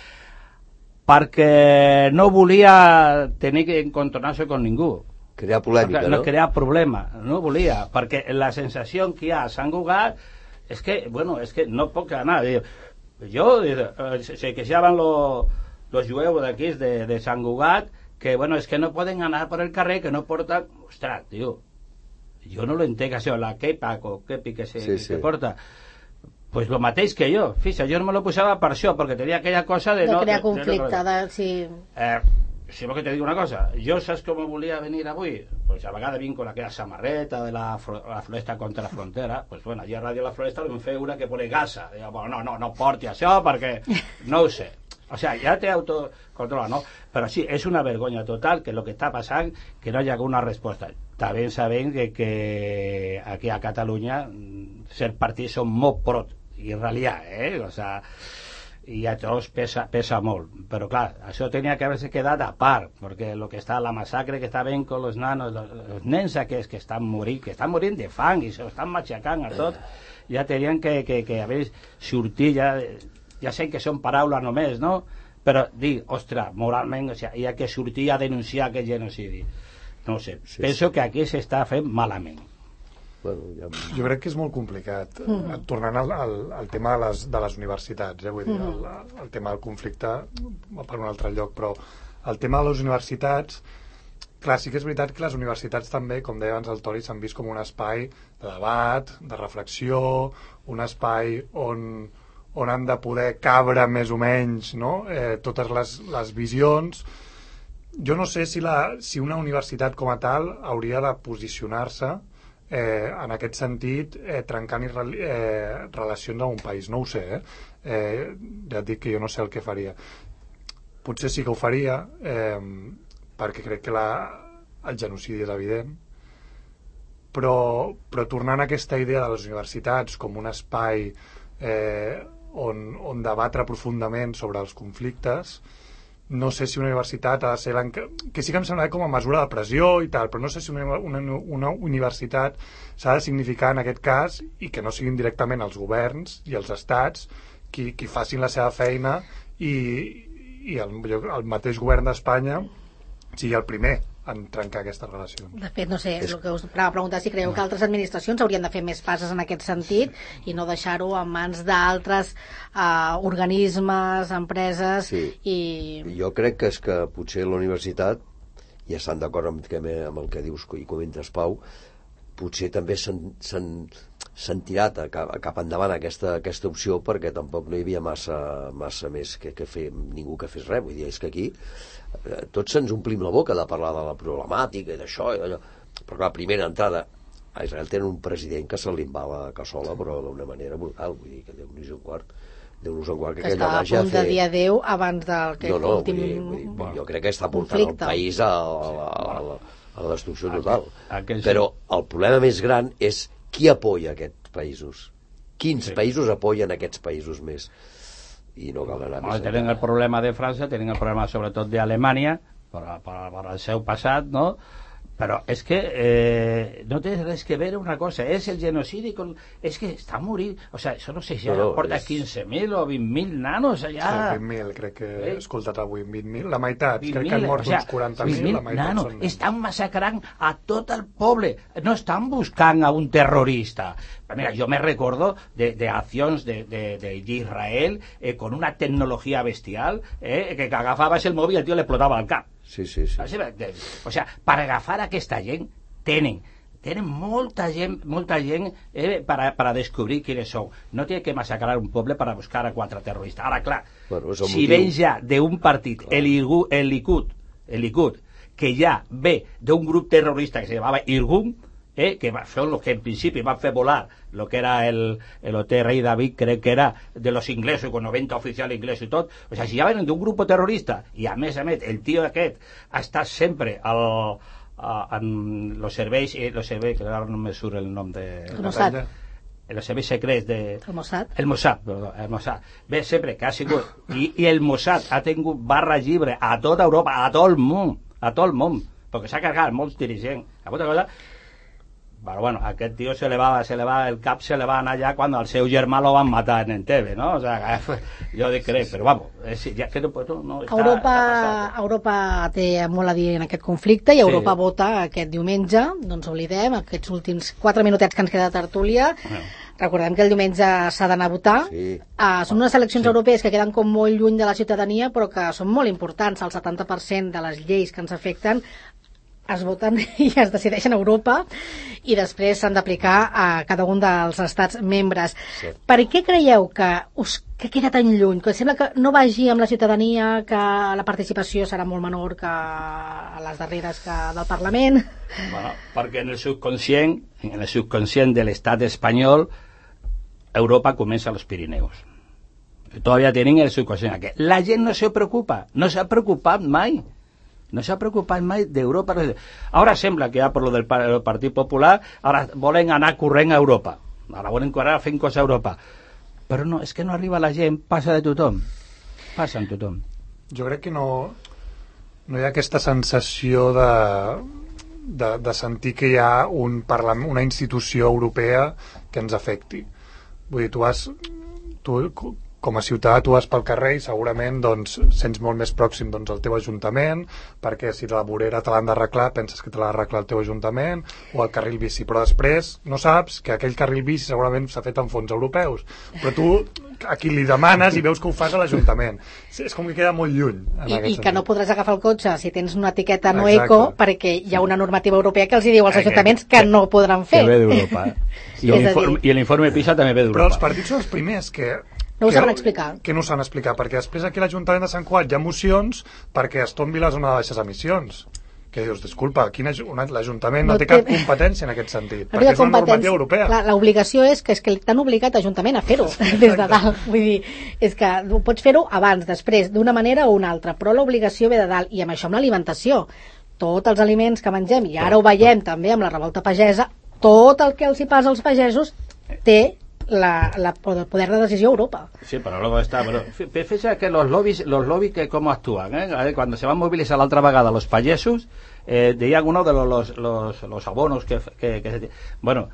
perquè no volia tenir que encontrar-se con ningú. Crear polèmica, no? No Crear problema, no volia, perquè la sensació que hi ha a Sant Cugat és que, bueno, és que no puc anar. Jo, eh, se queixaven los, los jueus d'aquí de, de Sant Cugat que, bueno, és que no poden anar per el carrer, que no porten... Ostres, tio, jo no lo entenc, això, la kepa o kepi que se sí, sí. que porta. Pues lo mateix que jo. Fixa, jo no me lo posava per això, perquè tenia aquella cosa de... De no, crear de, conflicte, de, de, de... Sí. Eh, si vol que te dic una cosa, jo saps com volia venir avui? Pues a vegades vinc con aquella samarreta de la, la floresta contra la frontera, pues bueno, allà a Ràdio La Floresta em feia una que pone gasa. Digo, bueno, no, no, no porti això perquè no ho sé. O sea, ja té autocontrol, ¿no? Però sí, és una vergonya total que el que està passant que no hi ha una resposta. També sabem que, que aquí a Catalunya ser partit són molt pro i realitat, eh? O sea, i a tots pesa, pesa molt. Però clar, això tenia que haver-se quedat a part, perquè el que està, la massacre que està ben con los nanos, los, els nens aquests que estan morint, que estan morint de fang i s'estan matxacant a tot, ja tenien que, que, que haver sortit ja... Ja sé que són paraules només, no? Però dir, ostres, moralment, o sigui, hi ha que sortir a denunciar aquest genocidi. No sé, sí, penso sí. que aquí s'està fent malament. Bueno, ja... Jo crec que és molt complicat. Mm. Tornant al, al, al tema de les, de les universitats, eh? Vull dir, el, el tema del conflicte per un altre lloc, però el tema de les universitats, clar, sí que és veritat que les universitats també, com deia abans el Toni, s'han vist com un espai de debat, de reflexió, un espai on... on han de poder cabre més o menys, no? eh, totes les, les visions. Jo no sé si, la, si una universitat com a tal hauria de posicionar-se eh, en aquest sentit eh, trencant i re, eh, relacions amb un país, no ho sé, eh? Eh, ja et dic que jo no sé el que faria. Potser sí que ho faria, eh, perquè crec que la, el genocidi és evident, però, però tornant a aquesta idea de les universitats com un espai eh, On, on debatre profundament sobre els conflictes, no sé si una universitat ha de ser que sí que em sembla com a mesura de pressió i tal, però no sé si una, una, una universitat s'ha de significar en aquest cas i que no siguin directament els governs i els estats qui, qui facin la seva feina i, i el, el mateix govern d'Espanya sigui el primer en trencar aquestes relacions. De fet, no sé, és... el que us anava a preguntar, si creieu que altres administracions haurien de fer més passes en aquest sentit i no deixar-ho en mans d'altres uh, organismes, empreses sí. i... Jo crec que és que potser la universitat, ja estan d'acord amb, amb el que dius i comentes, Pau, potser també s'han tirat a cap, a cap endavant aquesta, aquesta opció perquè tampoc no hi havia massa, massa més que, que fer, ningú que fes res. Vull dir, és que aquí eh, tots ens omplim la boca de parlar de la problemàtica i d'això i d'allò, però clar, primera entrada a Israel tenen un president que se li va la cassola però d'una manera brutal, vull dir que Déu-nos un quart Déu-nos un quart que, que estava a punt de dir adéu abans del que no, no, últim vull dir, vull dir, bueno, jo crec que està portant conflicte. El país a, a, a, a, a la destrucció total. Aquell, però el problema més gran és qui apoya aquests països, quins sí. països apoyen aquests països més. I no cal anar més. Tenen el problema de França, tenen el problema sobretot d'Alemanya per, per, per el seu passat, no? Però és que eh, no té res que veure una cosa, és el genocidi con... és que està morint, o sigui, això no sé si no, no, porta és... quinze mil o vint mil nanos allà. Sí, vint mil, crec que he escoltat avui, vint mil, la meitat, crec que han mort o sea, uns quaranta mil, la meitat nanos, són... Estan massacrant a tot el poble, no estan buscant a un terrorista. Mira, yo me recuerdo de, de acciones de, de, de Israel eh, con una tecnología bestial eh, que agafabas el móvil y el tío le explotaba el cap. Sí, sí, sí. O sigui, per agafar aquesta gent tenen tenen molta gent, molta gent eh, para, para descobrir quiénes son. No tiene que masacrar un poble para buscar a quatre terroristes. Ara, clar, bueno, si ven ja d'un partit, el, el Likud, el Likud, que ja ve d'un grup terrorista que se llamava Irgun, eh, que son los que en principi van fer volar lo que era el, el hotel Rei David, crec que era de los inglesos, con noventa oficials inglesos i tot. O sigui, si ja venen d'un grup terrorista, i a més a més, el tio aquest ha estat sempre al... Uh, en los serveis, eh, los serveis, que ara no me surt el nom de... El Mossad. Els serveis secrets de... El Mossad. El Mossad, perdó, el Mossad. Bé, sempre que ha sigut... I, i el Mossad ha tingut barra llibre a tota Europa, a tot el món, a tot el món, perquè s'ha cargat molts dirigents. Alguna cosa... Però bueno, aquest tio se le va, se le va, el cap se le va anar allà quan el seu germà lo van matar en Entebbe, ¿no? O sea, jo dic crec, però vamos, és, ja, que no, no, està, Europa, està Europa té molt a dir en aquest conflicte i Europa sí. vota aquest diumenge, no ens oblidem, aquests últims quatre minutets que ens queda de tertúlia. Bueno. Recordem que el diumenge s'ha d'anar a votar. Sí. Uh, són unes eleccions sí. europees que queden com molt lluny de la ciutadania, però que són molt importants. El setanta per cent de les lleis que ens afecten es voten i es decideixen a Europa i després s'han d'aplicar a cada un dels estats membres. Sí. Per què creieu que us que queda tan lluny? Que sembla que no vagi amb la ciutadania, que la participació serà molt menor que a les darreres que del Parlament? Bueno, perquè en el subconscient, en el subconscient de l'estat espanyol, Europa comença a los Pirineos. Todavía tienen el subconscient. La gent no se preocupa, no s'ha preocupat mai. No s'ha preocupat mai d'Europa. Ara sembla que ja per lo del Partit Popular ara volen anar corrent a Europa. Ara volen correr fent coses a Europa. Però no, és que no arriba la gent, passa de tothom. Passa en tothom. Jo crec que no, no hi ha aquesta sensació de, de, de sentir que hi ha un parlament, una institució europea que ens afecti. Vull dir, tu has... Tu, com a ciutadà tu vas pel carrer i segurament doncs, sents molt més pròxim doncs, al teu ajuntament, perquè si la vorera te l'han d'arreglar penses que te l'ha d'arreglar el teu ajuntament o el carril bici, però després no saps que aquell carril bici segurament s'ha fet amb fons europeus, però tu a qui li demanes i veus que ho fas a l'Ajuntament. És com que queda molt lluny I, i que no podràs agafar el cotxe si tens una etiqueta no Exacte. Eco, perquè hi ha una normativa europea que els hi diu als ajuntaments que no podran fer. Que ve d'Europa, eh? I l'informe PISA també ve d'Europa. Però els partits són els primers que no ho saben explicar. Que no ho saben explicar, perquè després aquí a l'Ajuntament de Sant Cugat hi ha mocions perquè es tombi la zona de baixes emissions. Que dius, disculpa, l'Ajuntament no, no té cap competència en aquest sentit, no perquè és una normativa europea. L'obligació és que és que t'han obligat l'Ajuntament a fer-ho des de dalt. Vull dir, és que pots fer-ho abans, després, d'una manera o una altra, però l'obligació ve de dalt, i amb això amb l'alimentació. Tots els aliments que mengem, i ara ho veiem també amb la revolta pagesa, tot el que els hi passa als pagesos té La, la, el poder de decisió a Europa. Sí, pero luego está. Pero fíjese que los lobbies, los lobbies que cómo actúan, ¿eh? Cuando se van a movilizar la otra vegada los payesos, eh, de algunos de los, los, los, los abonos que, que, que bueno,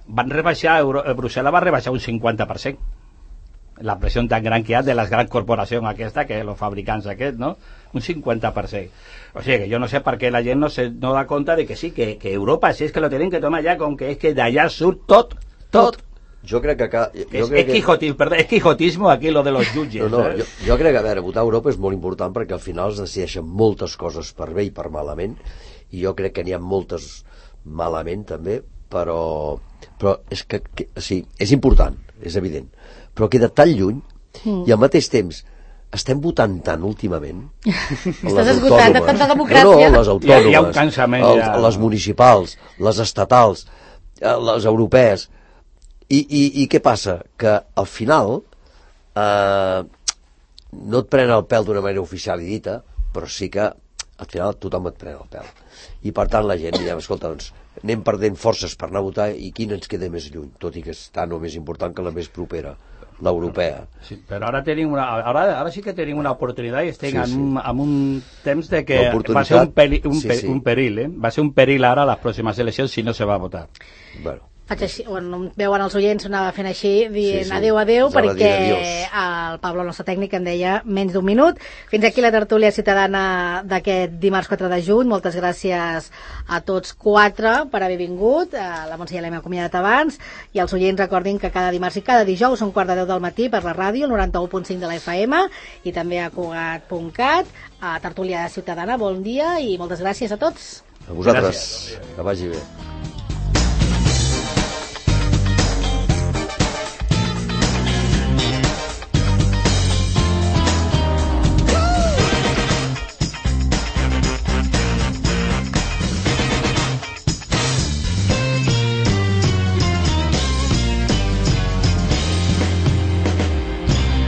van rebaixar, Euro, Brussel·les va rebaixar un cinquanta per cent. La pressió tan gran que hi ha de les grans corporacions aquesta, que els fabricants aquests, no? Un cinquanta per cent. O sigui que jo no sé per què la gent no se no da compte de que sí, que, que Europa, si és que lo tienen que tomar ja, com que és que d'allà surt tot, tot. Jo crec que acá... Jo és, crec és, quijotismo, que... perdó, és quijotismo aquí lo de los jutges. No, no, jo, jo crec que, a veure, votar a Europa és molt important perquè al final es decideixen moltes coses per bé i per malament, i jo crec que n'hi ha moltes malament també, però, però és que, que sí, és important, és evident, però queda tan lluny mm. i al mateix temps estem votant tant últimament. Estàs esgotant de tanta democràcia. No, no, les autònomes, hi ha un cansament, els, ja. les municipals, les estatals, les europees. I, i, i què passa? Que al final eh, no et pren el pèl d'una manera oficial i dita, però sí que al final tothom et pren el pèl. I per tant la gent dirà, escolta, doncs anem perdent forces per anar a votar i quina ens queda més lluny, tot i que és tan o més important que la més propera, l'europea. Sí, però ara tenim una, ara, ara sí que tenim una oportunitat i estem sí, sí. En, un, en un temps de que va ser un, peri, un, sí, sí. un perill, eh? Va ser un perill ara a les pròximes eleccions si no se va a votar. Bueno. faig així, bueno, veuen els oients, anava fent així, dient Sí, sí. adeu, adeu, Us ha de dir perquè adiós. el Pablo, el nostre tècnic, em deia menys d'un minut. Fins aquí la tertúlia ciutadana d'aquest dimarts quatre de juny. Moltes gràcies a tots quatre per haver vingut. La Montse ja l'hem acomiadat abans. I els oients recordin que cada dimarts i cada dijous són quart de deu del matí per la ràdio, noranta-u punt cinc de la F M, i també a Cugat punt cat. A Tertúlia Ciutadana, bon dia i moltes gràcies a tots. A vosaltres, que vagi bé.